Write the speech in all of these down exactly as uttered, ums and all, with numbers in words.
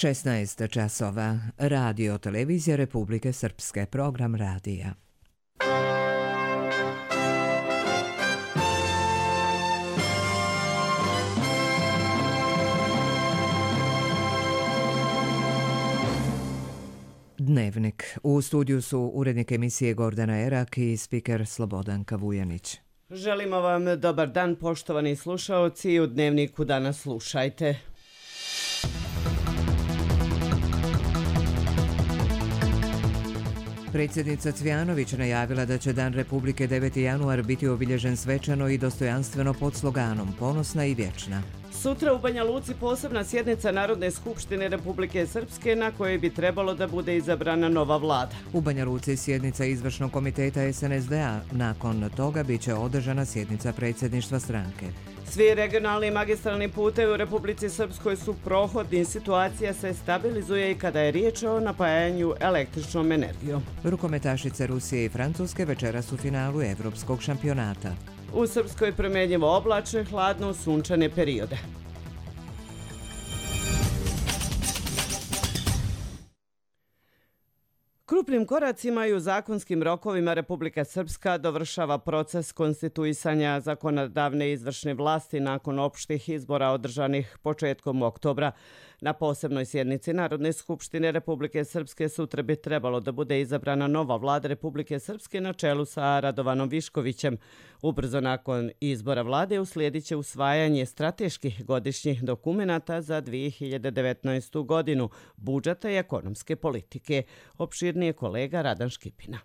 šesnaest časova. Radio Televizija Republike Srpske. Program radija. Dnevnik. U studiju su urednik emisije Gordana Erak i spiker Slobodanka Vujanić. Želimo vam dobar dan, poštovani slušaoci. U Dnevniku danas slušajte. Predsjednica Cvjanović najavila da će Dan Republike deveti januar biti obilježen svečano i dostojanstveno pod sloganom Ponosna i vječna. Sutra u Banja Luci posebna sjednica Narodne skupštine Republike Srpske na kojoj bi trebalo da bude izabrana nova vlada. U Banja Luci sjednica izvršnog komiteta es en es de a. Nakon toga bit će održana sjednica predsjedništva stranke. Svi regionalni i magistralni putevi u Republici Srpskoj su prohodni. Situacija se stabilizuje i kada je riječ o napajanju električnom energijom. Rukometašice Rusije i Francuske večeras u finalu evropskog šampionata. U Srpskoj promjenjivo oblačne, hladno sunčane periode. Krupnim koracima i u zakonskim rokovima Republika Srpska dovršava proces konstituisanja zakonodavne izvršne vlasti nakon opštih izbora održanih početkom oktobra. Na posebnoj sjednici Narodne skupštine Republike Srpske sutra bi trebalo da bude izabrana nova vlada Republike Srpske na čelu sa Radovanom Viškovićem. Ubrzo nakon izbora vlade uslijedit će usvajanje strateških godišnjih dokumenata za dvije hiljade devetnaestu. godinu, budžeta i ekonomske politike. Opširnije kolega Radan Škipina.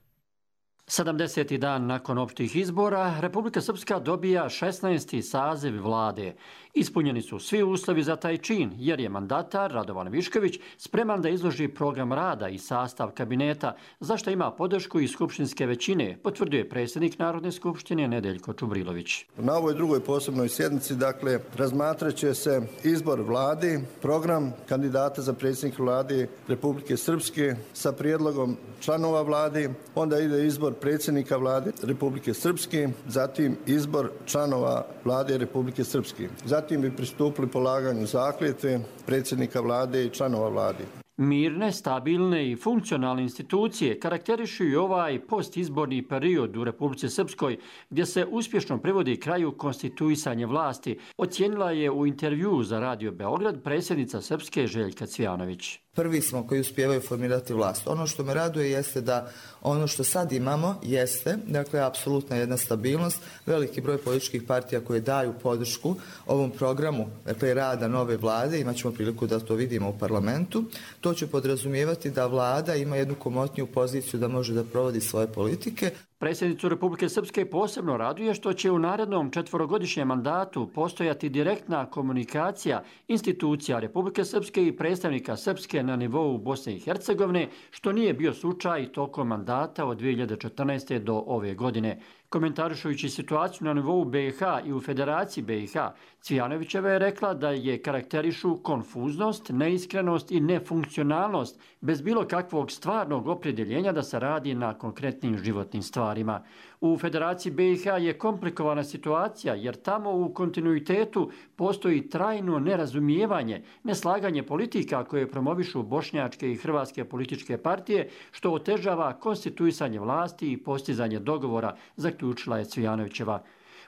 sedamdeseti dan nakon opštih izbora, Republika Srpska dobija šesnaesti saziv vlade. Ispunjeni su svi uslovi za taj čin, jer je mandatar Radovan Višković spreman da izloži program rada i sastav kabineta, za što ima podršku i skupštinske većine, potvrđuje predsjednik Narodne skupštine Nedeljko Čubrilović. Na ovoj drugoj posebnoj sjednici, dakle, razmatrat će se izbor vladi, program kandidata za predsjednika vlade Republike Srpske sa prijedlogom članova vlade, onda ide izbor predsjednika vlade Republike Srpske, zatim izbor članova vlade Republike Srpske. Zatim bi pristupili polaganju zakletve predsjednika vlade i članova vlade. Mirne, stabilne i funkcionalne institucije karakterišu i ovaj postizborni period u Republici Srpskoj, gdje se uspješno privodi kraju konstituisanje vlasti, ocijenila je u intervjuu za Radio Beograd predsjednica Srpske Željka Cvjanović. Prvi smo koji uspijevaju formirati vlast. Ono što me raduje jeste da ono što sad imamo jeste, dakle, apsolutna jedna stabilnost, veliki broj političkih partija koje daju podršku ovom programu, dakle, rada nove vlade, imat ćemo priliku da to vidimo u parlamentu. To će podrazumijevati da vlada ima jednu komotniju poziciju da može da provodi svoje politike. Predsjednicu Republike Srpske posebno raduje što će u narednom četvorogodišnjem mandatu postojati direktna komunikacija institucija Republike Srpske i predstavnika Srpske na nivou Bosne i Hercegovine, što nije bio slučaj tokom mandata od dvije hiljade četrnaeste. do ove godine. Komentarišujući situaciju na nivou be i ha i u Federaciji be i ha, Cvjanovićeva je rekla da je karakterišu konfuznost, neiskrenost i nefunkcionalnost, bez bilo kakvog stvarnog opredjeljenja da se radi na konkretnim životnim stvarima. U Federaciji be i ha je komplikovana situacija, jer tamo u kontinuitetu postoji trajno nerazumijevanje, neslaganje politika koje promovišu bošnjačke i hrvatske političke partije, što otežava konstituisanje vlasti i postizanje dogovora, zaključila je Cvjanovićeva.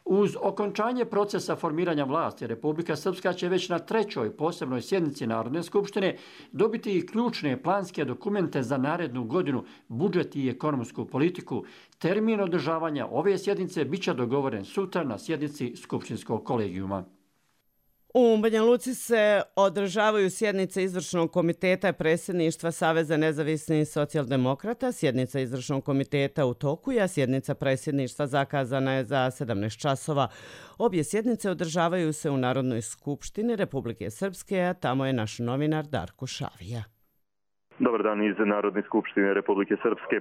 Uz okončanje procesa formiranja vlasti, Republika Srpska će već na trećoj posebnoj sjednici Narodne skupštine dobiti i ključne planske dokumente za narednu godinu, budžet i ekonomsku politiku. Termin održavanja ove sjednice bit će dogovoren sutra na sjednici Skupštinskog kolegijuma. U Banja Luci se održavaju sjednice izvršnog komiteta predsjedništva Saveza nezavisnih socijaldemokrata. Sjednica izvršnog komiteta u toku je, a sjednica predsjedništva zakazana je za sedamnaest časova. Obje sjednice održavaju se u Narodnoj skupštini Republike Srpske, a tamo je naš novinar Darko Šavija. Dobar dan iz Narodne skupštine Republike Srpske.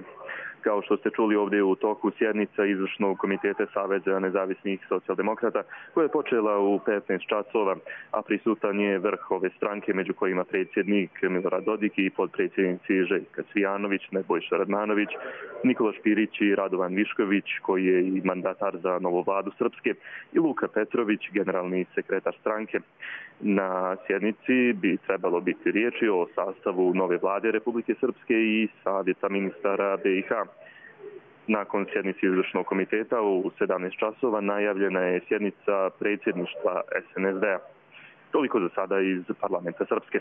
Kao što ste čuli ovdje u toku sjednica izvršnog komiteta Saveza nezavisnih socijaldemokrata koja je počela u petnaest časova, a prisutan je vrh ove stranke među kojima predsjednik Milorad Dodik i podpredsjednici Željka Cvijanović, Nebojša Radmanović, Nikola Špirić i Radovan Višković koji je i mandatar za novu vladu Srpske i Luka Petrović, generalni sekretar stranke. Na sjednici bi trebalo biti riječi o sastavu nove vlade Republike Srpske i savjeta ministara B i H. Nakon sjednice izvršnog komiteta u sedamnaest časova najavljena je sjednica predsjedništva S N S D-a. Toliko za sada iz parlamenta Srpske.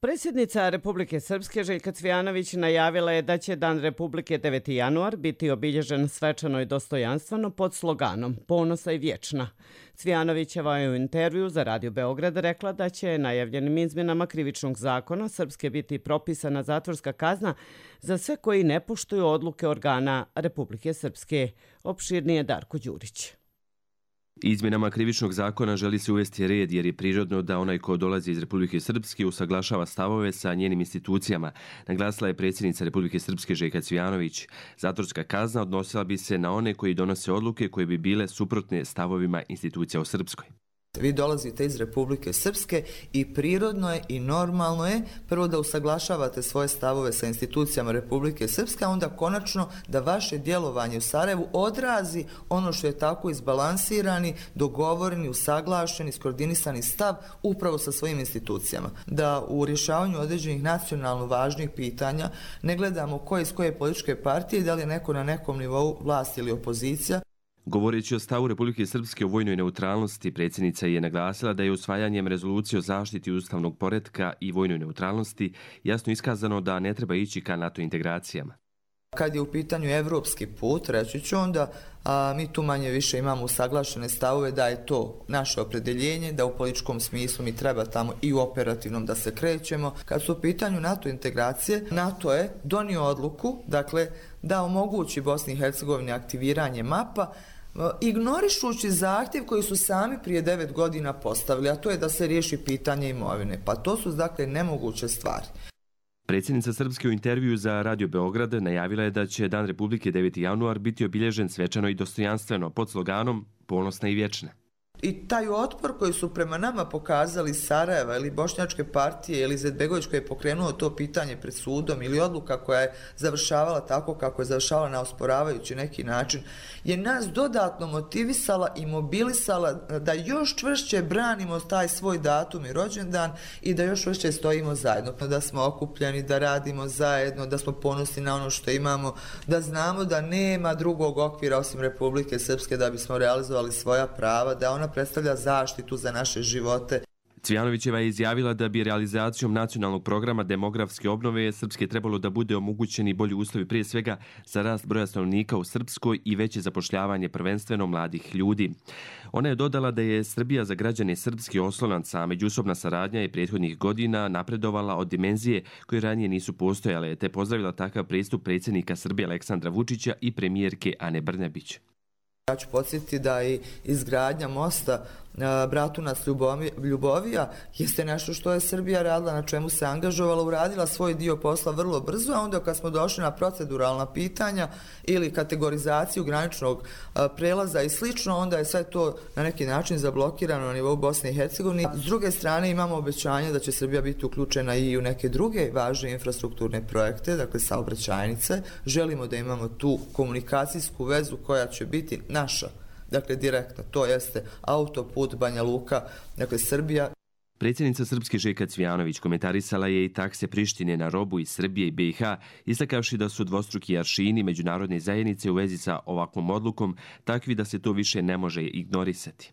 Predsjednica Republike Srpske Željka Cvijanović najavila je da će Dan Republike deveti januar biti obilježen svečano i dostojanstveno pod sloganom Ponosa i vječna. Cvijanovićeva je u intervju za Radio Beograd rekla da će najavljenim izmjenama krivičnog zakona Srpske biti propisana zatvorska kazna za sve koji ne poštuju odluke organa Republike Srpske. Opširnije Darko Đurić. Izmjenama krivičnog zakona želi se uvesti red jer je prirodno da onaj ko dolazi iz Republike Srpske usaglašava stavove sa njenim institucijama, naglasila je predsjednica Republike Srpske Željka Cvijanović. Zatvorska kazna odnosila bi se na one koji donose odluke koje bi bile suprotne stavovima institucija u Srpskoj. Vi dolazite iz Republike Srpske i prirodno je i normalno je prvo da usaglašavate svoje stavove sa institucijama Republike Srpske, a onda konačno da vaše djelovanje u Sarajevu odrazi ono što je tako izbalansirani, dogovoreni, usaglašeni, skoordinisani stav upravo sa svojim institucijama. Da u rješavanju određenih nacionalno važnih pitanja ne gledamo ko je iz koje političke partije, da li je neko na nekom nivou vlast ili opozicija. Govoreći o stavu Republike Srpske o vojnoj neutralnosti, predsjednica je naglasila da je usvajanjem rezolucije o zaštiti ustavnog poretka i vojnoj neutralnosti jasno iskazano da ne treba ići ka NATO integracijama. Kad je u pitanju evropski put, reći ću onda, a mi tu manje više imamo usaglašene stavove da je to naše opredjeljenje, da u političkom smislu mi treba tamo i u operativnom da se krećemo. Kad su u pitanju NATO integracije, NATO je donio odluku, dakle, da omogući Bosni i Hercegovini aktiviranje mapa, ignorišući zahtjev koji su sami prije devet godina postavili, a to je da se riješi pitanje imovine. Pa to su, dakle, nemoguće stvari. Predsjednica Srpske u intervju za Radio Beograd najavila je da će Dan Republike deveti januar biti obilježen svečano i dostojanstveno pod sloganom Ponosna i vječna. I taj otpor koji su prema nama pokazali Sarajeva ili Bošnjačke partije ili Izetbegović koji je pokrenuo to pitanje pred sudom ili odluka koja je završavala tako kako je završavala na osporavajući neki način, je nas dodatno motivisala i mobilisala da još čvršće branimo taj svoj datum i rođendan i da još čvršće stojimo zajedno. Da smo okupljeni, da radimo zajedno, da smo ponosni na ono što imamo, da znamo da nema drugog okvira osim Republike Srpske da bismo realizovali svoja prava, da ona predstavlja zaštitu za naše živote. Cvijanovićeva je izjavila da bi realizacijom nacionalnog programa demografske obnove Srpske trebalo da bude omogućeni bolji uslovi prije svega za rast broja stanovnika u Srpskoj i veće zapošljavanje prvenstveno mladih ljudi. Ona je dodala da je Srbija za građane Srpske oslonac, a međusobna saradnja je prethodnih godina napredovala od dimenzije koje ranije nisu postojale, te pozdravila takav pristup predsjednika Srbije Aleksandra Vučića i premijerke Ane Brnabić. Ja ću podsjetiti da i izgradnja mosta Bratunac Ljubovija jeste nešto što je Srbija radila, na čemu se angažovala, uradila svoj dio posla vrlo brzo, a onda kad smo došli na proceduralna pitanja ili kategorizaciju graničnog prelaza i slično, onda je sve to na neki način zablokirano na nivou Bosne i Hercegovine. S druge strane imamo obećanje da će Srbija biti uključena i u neke druge važne infrastrukturne projekte, dakle saobraćajnice. Želimo da imamo tu komunikacijsku vezu koja će biti naša. Dakle, direktno, to jeste autoput Banja Luka, dakle, Srbija. Predsjednica Srpske Željka Cvijanović komentarisala je i takse Prištine na robu iz Srbije i B i H, istakavši da su dvostruki aršini međunarodne zajednice u vezi sa ovakvom odlukom takvi da se to više ne može ignorisati.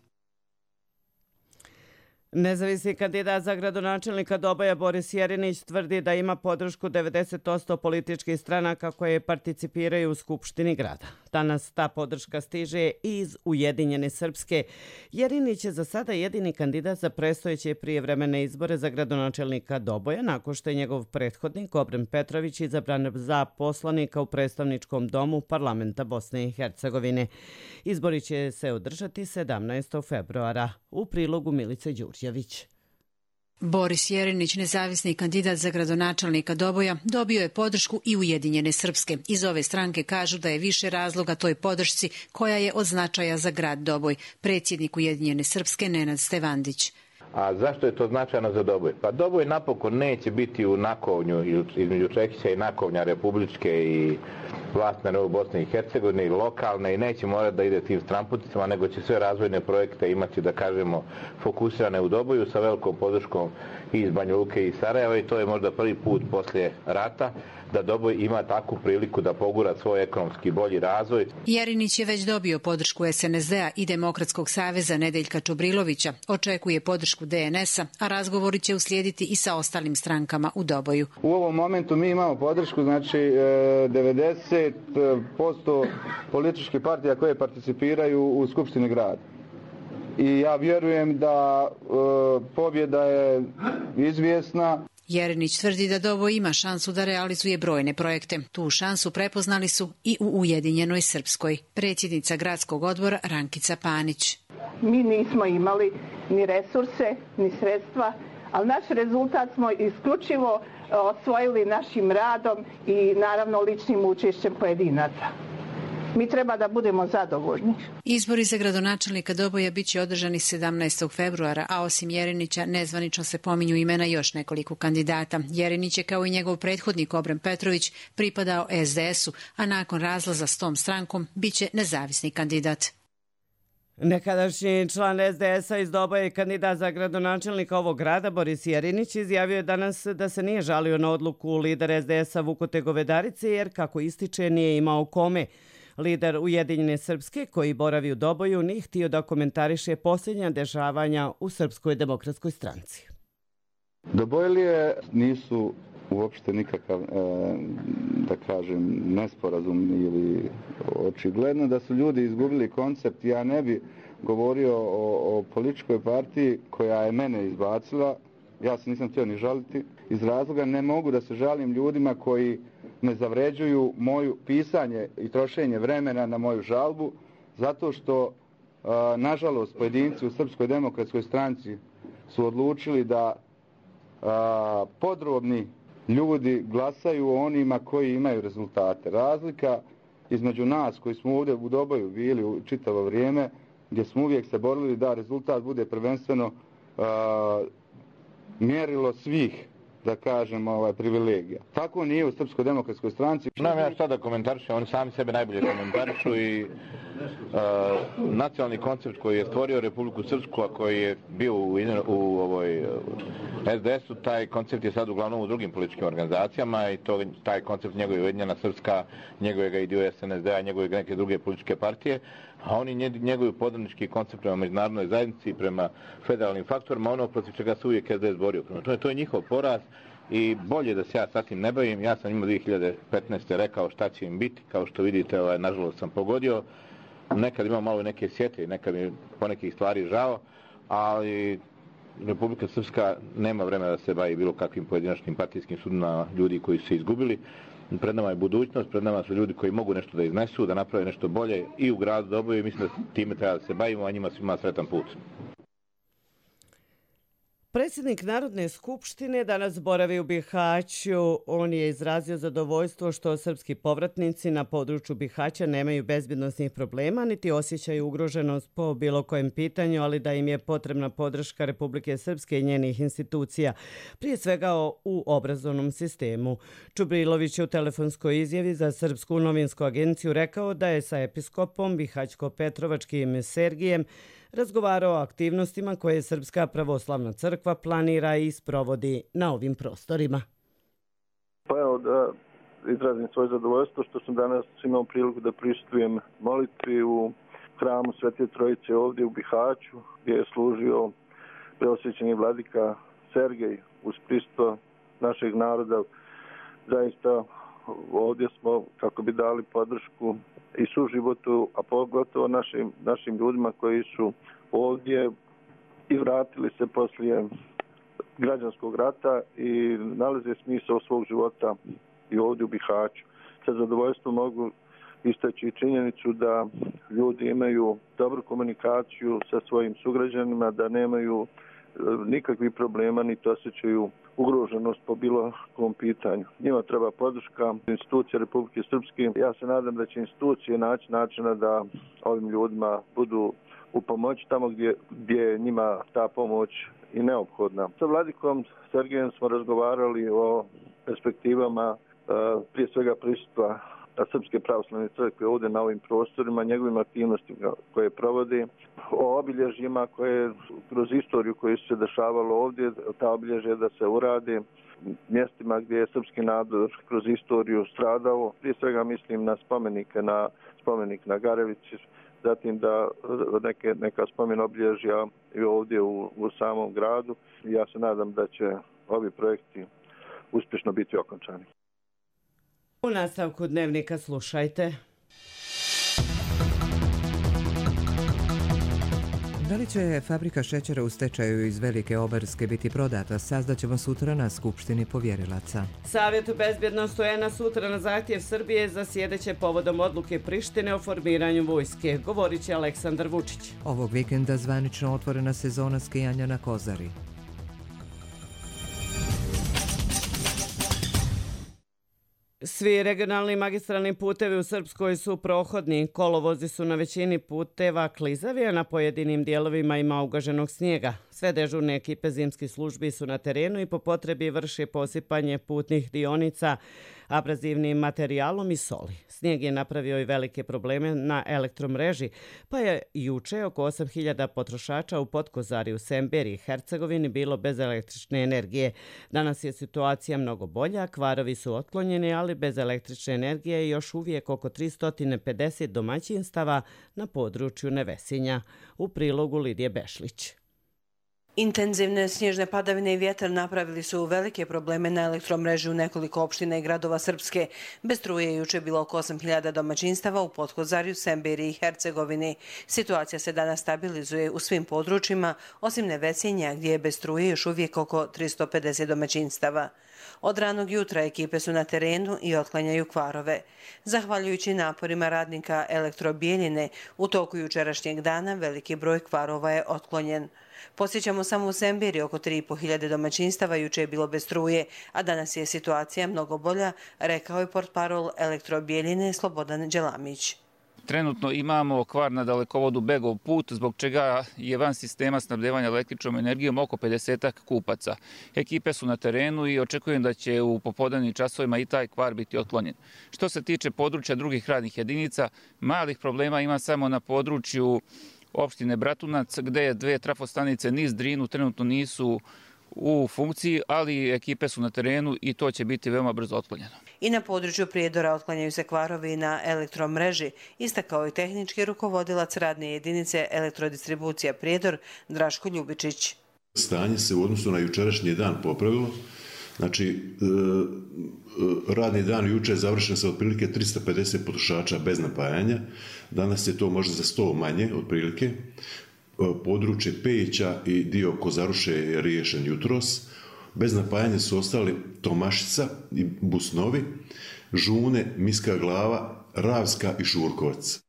Nezavisni kandidat za gradonačelnika Doboja Boris Jerinić tvrdi da ima podršku devedeset posto političkih stranaka koje participiraju u Skupštini grada. Danas ta podrška stiže iz Ujedinjene Srpske. Jerinić je za sada jedini kandidat za predstojeće prijevremene izbore za gradonačelnika Doboja, nakon što je njegov prethodnik Obren Petrović izabran za poslanika u predstavničkom domu parlamenta Bosne i Hercegovine. Izbori će se održati sedamnaestog februara. U prilogu Milice Đurđević. Boris Jerinić, nezavisni kandidat za gradonačelnika Doboja, dobio je podršku i Ujedinjene Srpske. Iz ove stranke kažu da je više razloga toj podršci koja je od značaja za grad Doboj. Predsjednik Ujedinjene Srpske Nenad Stevandić. A zašto je to značajno za Doboj? Pa Doboj napokon neće biti u nakovnju između Čekića i nakovnja republičke i vlast na nivou Bosne i Hercegovine i lokalne i neće morati da ide tim stramputicama, nego će sve razvojne projekte imati, da kažemo, fokusirane u Doboju sa velikom podrškom i iz Banja Luke i Sarajeva i to je možda prvi put poslije rata da Doboj ima takvu priliku da pogura svoj ekonomski bolji razvoj. Jerinić je već dobio podršku es en es de-a i Demokratskog saveza Nedeljka Čubrilovića, očekuje podršku de en es-a, a razgovori će uslijediti i sa ostalim strankama u Doboju. U ovom momentu mi imamo podršku, znači devedeset posto političkih partija koje participiraju u Skupštini grada. I ja vjerujem da e, pobjeda je izvjesna. Jerinić tvrdi da Doboj ima šansu da realizuje brojne projekte. Tu šansu prepoznali su i u Ujedinjenoj Srpskoj. Predsjednica gradskog odbora Rankica Panić. Mi nismo imali ni resurse, ni sredstva, ali naš rezultat smo isključivo osvojili našim radom i naravno ličnim učešćem pojedinaca. Mi treba da budemo zadovoljni. Izbori za gradonačelnika Doboja bit će održani sedamnaestog februara, a osim Jerinića nezvanično se pominju imena još nekoliko kandidata. Jerinić je kao i njegov prethodnik Obren Petrović pripadao es de es-u, a nakon razlaza s tom strankom bit će nezavisni kandidat. Nekadašnji član es de es-a iz Doboja i kandidat za gradonačelnika ovog grada Boris Jerinić izjavio je danas da se nije žalio na odluku lidera es de es-a Vukote Govedarice jer, kako ističe, nije imao kome. Lider Ujedinjene Srpske, koji boravi u Doboju, nije htio da komentariše posljednja dešavanja u Srpskoj demokratskoj stranci. Dobojlije nisu uopšte nikakav, da kažem, nesporazum ili očigledno da su ljudi izgubili koncept. Ja ne bi govorio o, o političkoj partiji koja je mene izbacila. Ja se nisam htio ni žaliti. Iz razloga ne mogu da se žalim ljudima koji ne zavređuju moju pisanje i trošenje vremena na moju žalbu, zato što, nažalost, pojedinci u Srpskoj demokratskoj stranci su odlučili da podrobni ljudi glasaju onima koji imaju rezultate. Razlika između nas koji smo ovdje u Doboju bili u čitavo vrijeme, gdje smo uvijek se borili da rezultat bude prvenstveno mjerilo svih, da kažem, ovaj, privilegija. Tako nije u Srpskoj demokratskoj stranci. Znam ja šta da komentarišem, oni sami sebe najbolje komentarišu i uh, nacionalni koncept koji je stvorio Republiku Srpsku, a koji je bio u, u ovoj uh, es de es-u, taj koncept je sad uglavnom u drugim političkim organizacijama i to, taj koncept njegove Ujedinjena Srpska, njegove ga i dio es en es de-a, njegove neke druge političke partije, a oni njegovi podanički koncept prema međunarodnoj zajednici i prema federalnim faktorima, ono protiv čega se uvijek es de es borio. To je, to je njihov poraz i bolje da se ja sa tim ne bavim. Ja sam imao dvije hiljade petnaeste. rekao šta će im biti, kao što vidite, ovaj, nažalost sam pogodio. Nekad imam malo neke sjete, nekad mi po nekih stvari žao, ali Republika Srpska nema vremena da se bavi bilo kakvim pojedinačnim partijskim sudima ljudi koji su se izgubili. Pred nama je budućnost, pred nama su ljudi koji mogu nešto da iznesu, da naprave nešto bolje i u gradu Doboju i mislim da time treba da se bavimo, a njima svima sretan put. Predsjednik Narodne skupštine danas boravi u Bihaću. On je izrazio zadovoljstvo što srpski povratnici na području Bihaća nemaju bezbjednosnih problema niti osjećaju ugroženost po bilo kojem pitanju, ali da im je potrebna podrška Republike Srpske i njenih institucija, prije svega u obrazovnom sistemu. Čubrilović je u telefonskoj izjavi za Srpsku novinsku agenciju rekao da je sa episkopom Bihaćko-Petrovačkim Sergijem razgovarao o aktivnostima koje Srpska pravoslavna crkva planira i sprovodi na ovim prostorima. Pa evo da izrazim svoje zadovoljstvo što sam danas imao priliku da prisustvujem molitvi u hramu Svete Trojice ovdje u Bihaću, gdje je služio preosvećeni vladika Sergej uz prisustvo našeg naroda. Zaista ovdje smo kako bi dali podršku i suživotu, a pogotovo našim, našim ljudima koji su ovdje i vratili se poslije građanskog rata i nalaze smisao svog života i ovdje u Bihaću. Sa zadovoljstvom mogu istaći činjenicu da ljudi imaju dobru komunikaciju sa svojim sugrađanima, da nemaju nikakvih problema niti osjećaju ugroženost po bilo kom pitanju. Njima treba podrška institucije Republike Srpske. Ja se nadam da će institucije naći načina da ovim ljudima budu u pomoći tamo gdje, gdje je njima ta pomoć i neophodna. Sa vladikom Sergejem smo razgovarali o perspektivama prije svega prisustva Srpske pravoslavne crkve ovdje na ovim prostorima, njegovim aktivnostima koje provode, o obilježjima koje kroz istoriju koje su se dešavalo ovdje, ta obilježja da se urade, mjestima gdje je srpski narod kroz istoriju stradao. Prije svega mislim na spomenike, na spomenik na Garevici, zatim da neke, neka spomen obilježja i ovdje u, u samom gradu. Ja se nadam da će ovi projekti uspješno biti okončani. U nastavku dnevnika slušajte. Da li će fabrika šećera u stečaju iz Velike Obarske biti prodata, saznaćemo sutra na Skupštini povjerilaca. Savjet bezbjednosti U N-a sutra na zahtjev Srbije zasjedeće povodom odluke Prištine o formiranju vojske, govorit će Aleksandar Vučić. Ovog vikenda zvanično otvorena sezona skijanja na Kozari. Svi regionalni magistralni putevi u Srpskoj su prohodni. Kolovozi su na većini puteva klizavi, a na pojedinim dijelovima ima ugaženog snijega. Sve dežurne ekipe zimskih službi su na terenu i po potrebi vrše posipanje putnih dionica abrazivnim materijalom i soli. Snijeg je napravio i velike probleme na elektromreži, pa je juče oko osam hiljada potrošača u Potkozari u Semberi i Hercegovini bilo bez električne energije. Danas je situacija mnogo bolja, kvarovi su otklonjeni, ali bez električne energije je još uvijek oko tristo pedeset domaćinstava na području Nevesinja. U prilogu Lidije Bešlić. Intenzivne snježne padavine i vjetar napravili su velike probleme na elektromreži u nekoliko opština i gradova Srpske. Bez struje je juče bilo oko osam hiljada domaćinstava u Potkozarju, Semberi i Hercegovini. Situacija se danas stabilizuje u svim područjima, osim Nevesinja gdje je bez struje još uvijek oko tristo pedeset domaćinstava. Od ranog jutra ekipe su na terenu i otklanjaju kvarove. Zahvaljujući naporima radnika Elektrobijeljine, u toku jučerašnjeg dana veliki broj kvarova je otklonjen. Posjećamo samo u Semberi oko tri i po hiljade domaćinstava juče je bilo bez struje, a danas je situacija mnogo bolja, rekao je portparol Elektrobijeljine Slobodan Đelamić. Trenutno imamo kvar na dalekovodu Begov put, zbog čega je van sistema snabdevanja električnom energijom oko pedesetak kupaca. Ekipe su na terenu i očekujem da će u popodnevnim časovima i taj kvar biti otklonjen. Što se tiče područja drugih radnih jedinica, malih problema ima samo na području opštine Bratunac, gde je dve trafostanice niz Drinu trenutno nisu u funkciji, ali ekipe su na terenu i to će biti veoma brzo otklonjeno. I na području Prijedora otklanjaju se kvarovi na elektromreži, istakao i tehnički rukovodilac radne jedinice Elektrodistribucija Prijedor Draško Ljubičić. Stanje se u odnosu na jučerašnji dan popravilo. Znači, radni dan juče je završen sa otprilike tristo pedeset potrošača bez napajanja. Danas je to možda za sto manje, otprilike. Područje Pejića i dio Kozaruše je riješen jutros. Bez napajanja su ostali Tomašica i Busnovi, Žune, Miska Glava, Ravska i Šurkovac.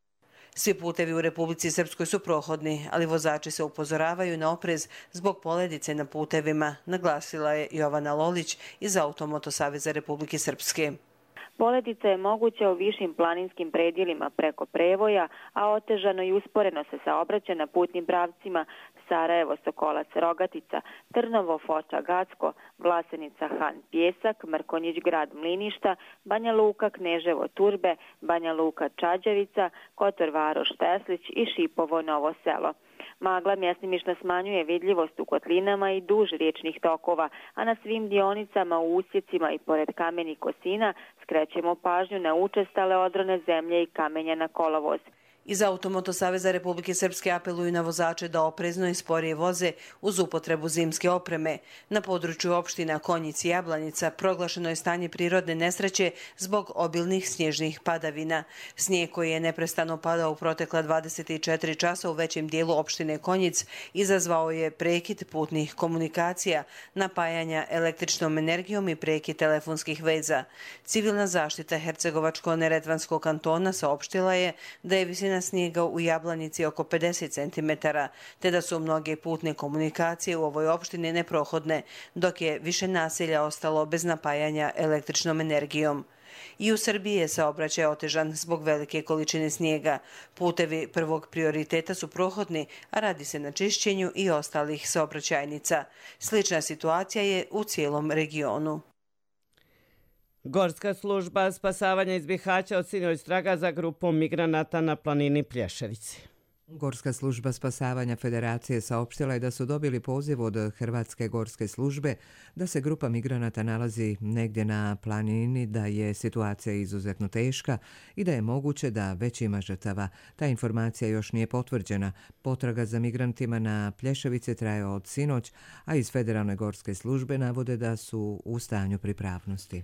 Svi putevi u Republici Srpskoj su prohodni, ali vozači se upozoravaju na oprez zbog poledice na putevima, naglasila je Jovana Lolić iz Automoto Saveza Republike Srpske. Poledica je moguća u višim planinskim predjelima preko Prevoja, a otežano i usporeno se saobraća na putnim pravcima Sarajevo, Sokolac, Rogatica, Trnovo, Foča, Gacko, Vlasenica, Han, Pjesak, Mrkonjić, Grad, Mliništa, Banja Luka, Kneževo, Turbe, Banja Luka, Čađavica, Kotor, Varoš, Teslić i Šipovo, Novo Selo. Magla mjestimično smanjuje vidljivost u kotlinama i duž riječnih tokova, a na svim dionicama, u usjecima i pored kamenih kosina skrećemo pažnju na učestale odrone zemlje i kamenja na kolovoz. Iz Automoto Saveza Republike Srpske apeluju na vozače da oprezno i sporije voze uz upotrebu zimske opreme. Na području opština Konjic i Jablanica proglašeno je stanje prirodne nesreće zbog obilnih snježnih padavina. Snijeg koji je neprestano padao u protekla dvadeset četiri časa u većem dijelu opštine Konjic izazvao je prekid putnih komunikacija, napajanja električnom energijom i prekid telefonskih veza. Civilna zaštita Hercegovačko-Neretvanskog kantona saopštila je da je visina količina snijega u Jablanici oko pedeset centimetara, te da su mnoge putne komunikacije u ovoj opštini neprohodne, dok je više naselja ostalo bez napajanja električnom energijom. I u Srbiji je saobraćaj otežan zbog velike količine snijega. Putevi prvog prioriteta su prohodni, a radi se na čišćenju i ostalih saobraćajnica. Slična situacija je u cijelom regionu. Gorska služba spasavanja iz Bihaća od sinoć traga za grupom migranata na planini Plješevici. Gorska služba spasavanja Federacije saopštila je da su dobili poziv od Hrvatske gorske službe da se grupa migranata nalazi negdje na planini, da je situacija izuzetno teška i da je moguće da već ima žrtava. Ta informacija još nije potvrđena. Potraga za migrantima na Plješevici traje od sinoć, a iz Federalne gorske službe navode da su u stanju pripravnosti.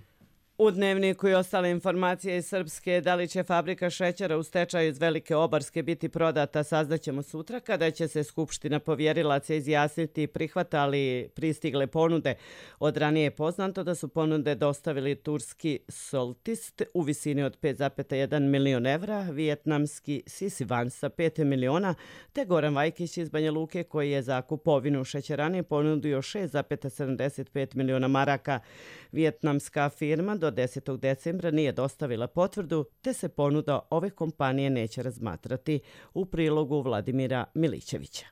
U Dnevniku i ostale informacije iz Srpske, da li će fabrika šećera u stečaju iz Velike Obarske biti prodata, saznaćemo sutra kada će se Skupština povjerilaca izjasniti prihvata li pristigle ponude. Od ranije je poznato da su ponude dostavili turski Soltist u visini od pet zarez jedan milion evra, vijetnamski Sisivan sa pet miliona, te Goran Vajkić iz Banja Luke koji je za kupovinu šećerane ponudio šest zarez sedamdeset pet miliona maraka. Vijetnamska firma do desetog decembra nije dostavila potvrdu, te se ponuda ove kompanije neće razmatrati, u prilogu Vladimira Milićevića.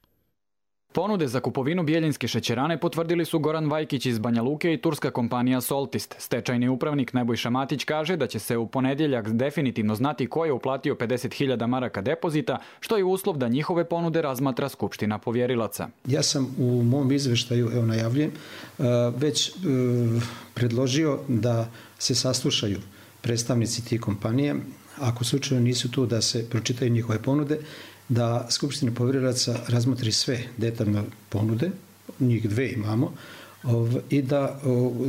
Ponude za kupovinu bijeljinske šećerane potvrdili su Goran Vajkić iz Banja Luke i turska kompanija Soltist. Stečajni upravnik Nebojša Matić kaže da će se u ponedjeljak definitivno znati ko je uplatio pedeset hiljada maraka depozita, što je uslov da njihove ponude razmatra Skupština povjerilaca. Ja sam u mom izveštaju, evo najavljujem, već predložio da se saslušaju predstavnici tih kompanija. Ako slučajno nisu tu, da se pročitaju njihove ponude, da Skupština povjerilaca razmotri sve detaljne ponude, njih dve imamo, i da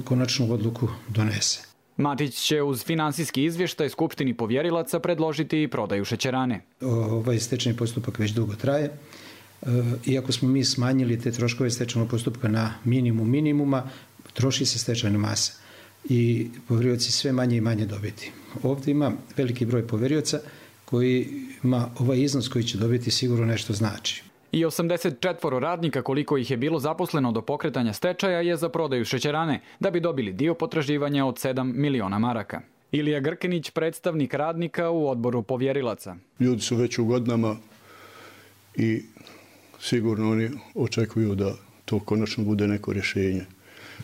konačnu odluku donese. Matić će uz finansijski izvještaj Skupštini povjerilaca predložiti i prodaju šećerane. Ovaj stečajni postupak već dugo traje. Iako smo mi smanjili te troškove stečajnog postupka na minimum minimuma, troši se stečajna masa i povjerilaci sve manje i manje dobiti. Ovdje ima veliki broj povjerilaca koji ima ovaj iznos koji će dobiti sigurno nešto znači. I osamdeset četiri radnika, koliko ih je bilo zaposleno do pokretanja stečaja, je za prodaju šećerane, da bi dobili dio potraživanja od sedam miliona maraka. Ilija Grkinić, predstavnik radnika u odboru povjerilaca. Ljudi su već u godinama i sigurno oni očekuju da to konačno bude neko rješenje.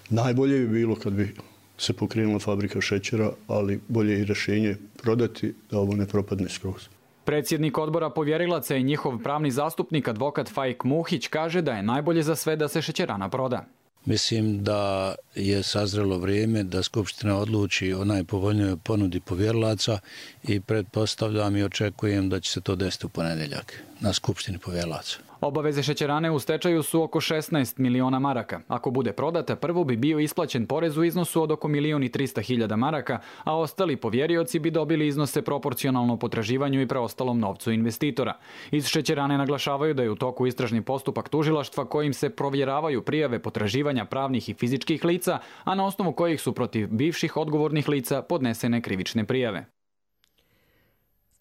Najbolje bi bilo kad bi se pokrenula fabrika šećera, ali bolje je i rješenje prodati da ovo ne propadne skroz. Predsjednik odbora povjerilaca i njihov pravni zastupnik, advokat Fajk Muhić, kaže da je najbolje za sve da se šećerana proda. Mislim da je sazrelo vrijeme da Skupština odluči o najpovoljnijoj ponudi povjerilaca i pretpostavljam i očekujem da će se to desiti u ponedjeljak na Skupštini povjerilaca. Obaveze šećerane u stečaju su oko šesnaest miliona maraka. Ako bude prodata, prvo bi bio isplaćen porez u iznosu od oko milion i trista hiljada maraka, a ostali povjerioci bi dobili iznose proporcionalno potraživanju i preostalom novcu investitora. Iz šećerane naglašavaju da je u toku istražni postupak tužilaštva kojim se provjeravaju prijave potraživanja pravnih i fizičkih lica, a na osnovu kojih su protiv bivših odgovornih lica podnesene krivične prijave.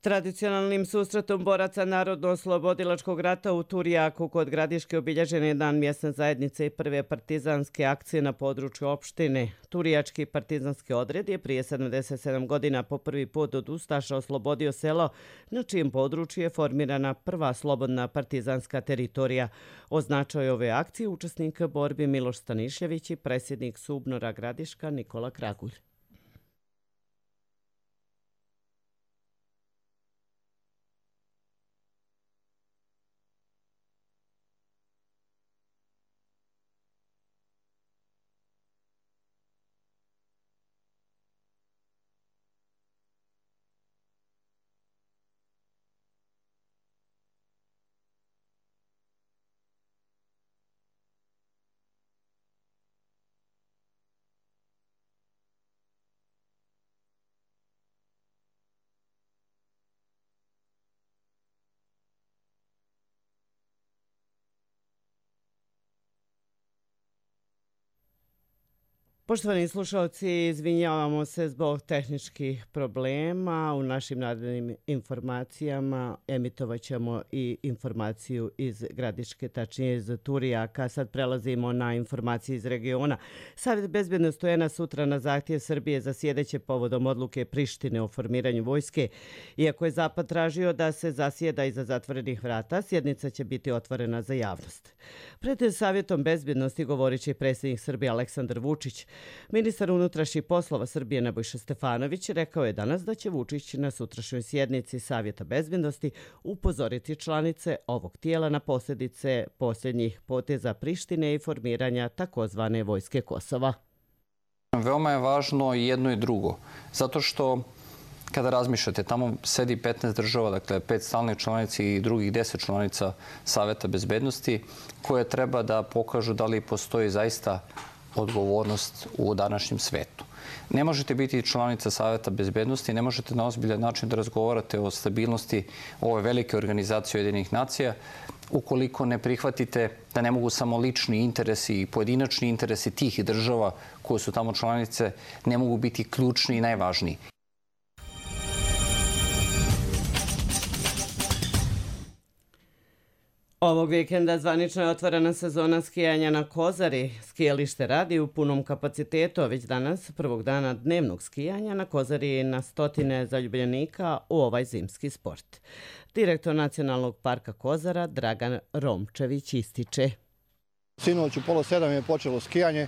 Tradicionalnim susretom boraca Narodno-oslobodilačkog rata u Turjaku kod Gradiške obilježen je dan mjesne zajednice i prve partizanske akcije na području opštine. Turjački partizanski odred je prije sedamdeset sedam godina po prvi put od ustaša oslobodio selo na čijem području je formirana prva slobodna partizanska teritorija. O značaju ove akcije učesnik borbi Miloš Stanišljević i predsjednik Subnora Gradiška Nikola Kragulj. Poštovani slušalci, izvinjavamo se zbog tehničkih problema. U našim narednim informacijama emitovat ćemo i informaciju iz Gradiške, tačnije iz Turijaka. Sad prelazimo na informacije iz regiona. Savjet bezbednosti U N-a sutra na zahtjev Srbije zasjedeće povodom odluke Prištine o formiranju vojske. Iako je Zapad tražio da se zasjeda iza zatvorenih vrata, sjednica će biti otvorena za javnost. Pred Savjetom bezbednosti govorit će predsjednik Srbije Aleksandar Vučić. Ministar unutrašnjih poslova Srbije Nebojša Stefanović rekao je danas da će Vučić na sutrašnjoj sjednici Savjeta bezbednosti upozoriti članice ovog tijela na posljedice posljednjih poteza Prištine i formiranja takozvane vojske Kosova. Veoma je važno i jedno i drugo, zato što kada razmišljate, tamo sedi petnaest država, dakle pet stalnih članica i drugih deset članica Savjeta bezbednosti, koje treba da pokažu da li postoji zaista odgovornost u današnjem svetu. Ne možete biti članica Savjeta bezbednosti, ne možete na ozbiljan način da razgovarate o stabilnosti ove velike organizacije Ujedinjenih nacija ukoliko ne prihvatite da ne mogu samo lični interesi i pojedinačni interesi tih država koje su tamo članice, ne mogu biti ključni i najvažniji. Ovog vikenda zvanično je otvorena sezona skijanja na Kozari. Skijalište radi u punom kapacitetu, a već danas, prvog dana dnevnog skijanja, na Kozari je na stotine zaljubljenika u ovaj zimski sport. Direktor Nacionalnog parka Kozara Dragan Romčević ističe. Sinoć u pola sedam je počelo skijanje.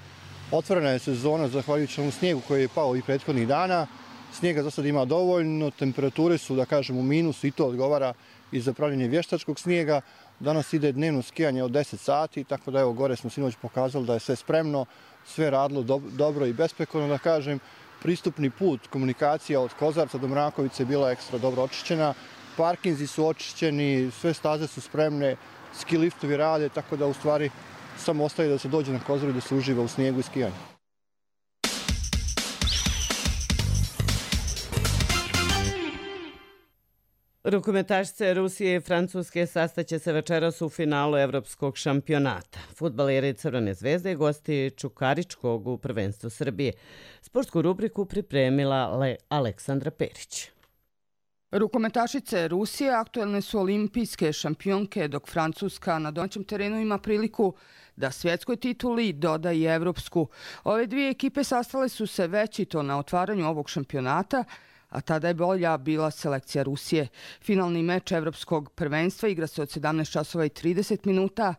Otvorena je sezona zahvaljujući ovom snijegu koji je pao i prethodnih dana. Snijega za sad ima dovoljno, temperature su, da kažem, u minusu i to odgovara i za pravljenje vještačkog snijega. Danas ide dnevno skijanje od deset sati, tako da evo gore smo sinoć pokazali da je sve spremno, sve radilo do, dobro i besprekorno, da kažem. Pristupni put, komunikacija od Kozarca do Mrakovice je bila ekstra dobro očišćena. Parkinzi su očišćeni, sve staze su spremne, ski liftovi rade, tako da u stvari samo ostaje da se dođe na Kozaru i da se uživa u snijegu i skijanju. Rukometašice Rusije i Francuske sastaće se večeras u finalu evropskog šampionata. Fudbaleri Crvene zvezde gosti Čukaričkog u prvenstvu Srbije. Sportsku rubriku pripremila Le Aleksandra Perić. Rukometašice Rusije aktuelne su olimpijske šampionke, dok Francuska na domaćem terenu ima priliku da svjetskoj tituli doda i evropsku. Ove dvije ekipe sastale su se već i to na otvaranju ovog šampionata, a tada je bolja bila selekcija Rusije. Finalni meč evropskog prvenstva igra se od sedamnaest časova i trideset minuta,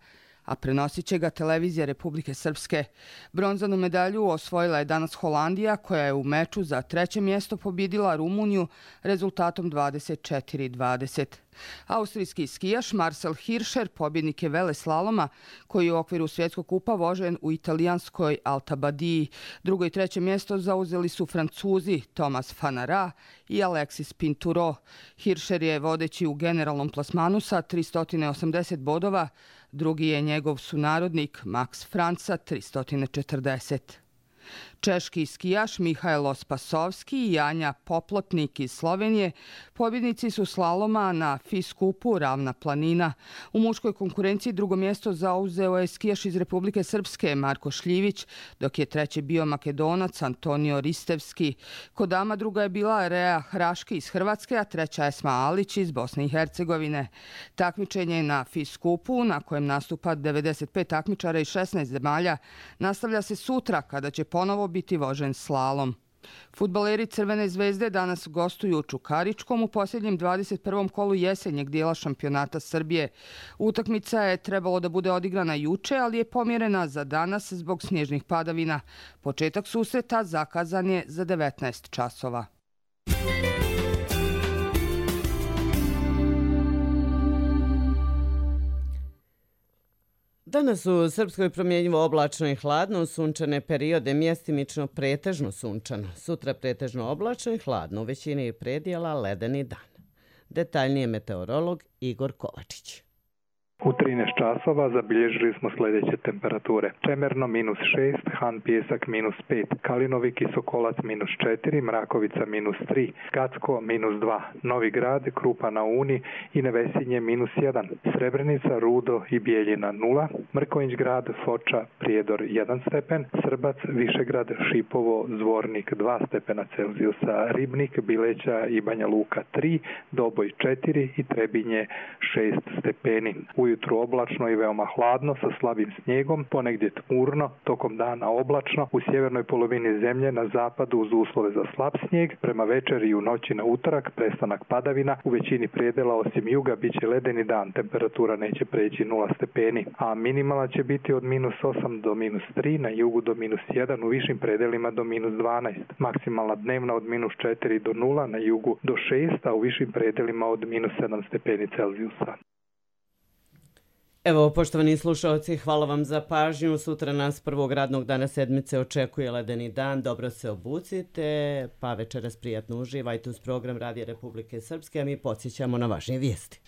a prenosit će ga televizija Republike Srpske. Bronzanu medalju osvojila je danas Holandija, koja je u meču za treće mjesto pobjedila Rumuniju rezultatom dvadeset četiri dvadeset. Austrijski skijaš Marcel Hirscher pobjednik je veleslaloma koji je u okviru svjetskog kupa vožen u italijanskoj Alta Badiji. Drugo i treće mjesto zauzeli su Francuzi Thomas Fanara i Alexis Pinturo. Hirscher je vodeći u generalnom plasmanu sa tristo osamdeset bodova, drugi je njegov sunarodnik Max Franca tristo četrdeset. Češki skijaš Mihajlo Spasovski i Anja Poplotnik iz Slovenije pobjednici su slaloma na FIS kupu Ravna planina. U muškoj konkurenciji drugo mjesto zauzeo je skijaš iz Republike Srpske Marko Šljivić, dok je treći bio Makedonac Antonio Ristevski. Kod dama druga je bila Rea Hraški iz Hrvatske, a treća Esma Alić iz Bosne i Hercegovine. Takmičenje na FIS kupu, na kojem nastupa devedeset pet takmičara iz šesnaest zemalja, nastavlja se sutra kada će ponovo biti vožen slalom. Fudbaleri Crvene zvezde danas gostuju u Čukaričkom u posljednjem dvadeset prvom kolu jesenjeg dijela šampionata Srbije. Utakmica je trebalo da bude odigrana juče, ali je pomjerena za danas zbog snježnih padavina. Početak susreta zakazan je za devetnaest časova. Danas u Srpskoj promjenjivo oblačno i hladno, sunčane periode, mjestimično pretežno sunčano. Sutra pretežno oblačno i hladno, u većini predjela ledeni dan. Detaljnije meteorolog Igor Kovačić. U trinaest časova zabilježili smo sljedeće temperature. Čemerno minus šest, Han Pijesak minus pet, Kalinovik i Sokolac minus četiri, Mrakovica minus tri, Gacko minus dva, Novi Grad, Krupa na Uni i Nevesinje minus jedan, Srebrenica, Rudo i Bijeljina nula, Mrkonjić Grad, Foča, Prijedor jedan stepen, Srbac, Višegrad, Šipovo, Zvornik dva stepena Celzijusa, Ribnik, Bileća i Banja Luka tri, Doboj četiri i Trebinje šest stepeni. Ujutru oblačno i veoma hladno sa slabim snijegom, ponegdje tmurno, tokom dana oblačno, u sjevernoj polovini zemlje na zapadu uz uslove za slab snijeg, prema večeri i u noći na utorak prestanak padavina, u većini predela osim juga bit će ledeni dan, temperatura neće preći nula stepeni, a minimalna će biti od minus osam do minus tri, na jugu do minus jedan, u višim predelima do minus dvanaest, maksimalna dnevna od minus četiri do nula, na jugu do šest, a u višim predelima od minus sedam stepeni Celzijusa. Evo, poštovani slušalci, hvala vam za pažnju. Sutra nas prvog radnog dana sedmice očekuje ledeni dan. Dobro se obucite, pa večeras prijatno uživajte uz program Radija Republike Srpske, a mi podsjećamo na važnije vijesti.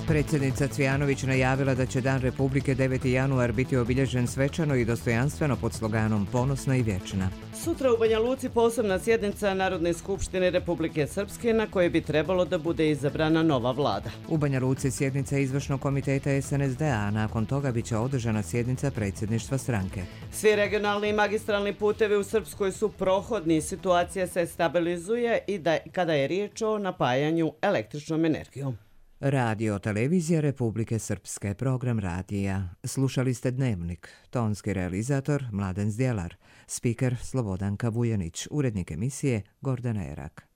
Predsjednica Cvijanović najavila da će Dan Republike deveti januar biti obilježen svečano i dostojanstveno pod sloganom Ponosna i vječna. Sutra u Banja Luci posebna sjednica Narodne skupštine Republike Srpske na kojoj bi trebalo da bude izabrana nova vlada. U Banja Luci sjednica izvršnog komiteta S N S D A, a nakon toga bit će održana sjednica predsjedništva stranke. Svi regionalni i magistralni putevi u Srpskoj su prohodni, situacija se stabilizuje i da, kada je riječ o napajanju električnom energijom. Radio Televizija Republike Srpske, program radija. Slušali ste Dnevnik, tonski realizator Mladen Zdjelar, spiker Slobodanka Vujanić, urednik emisije Gordana Erak.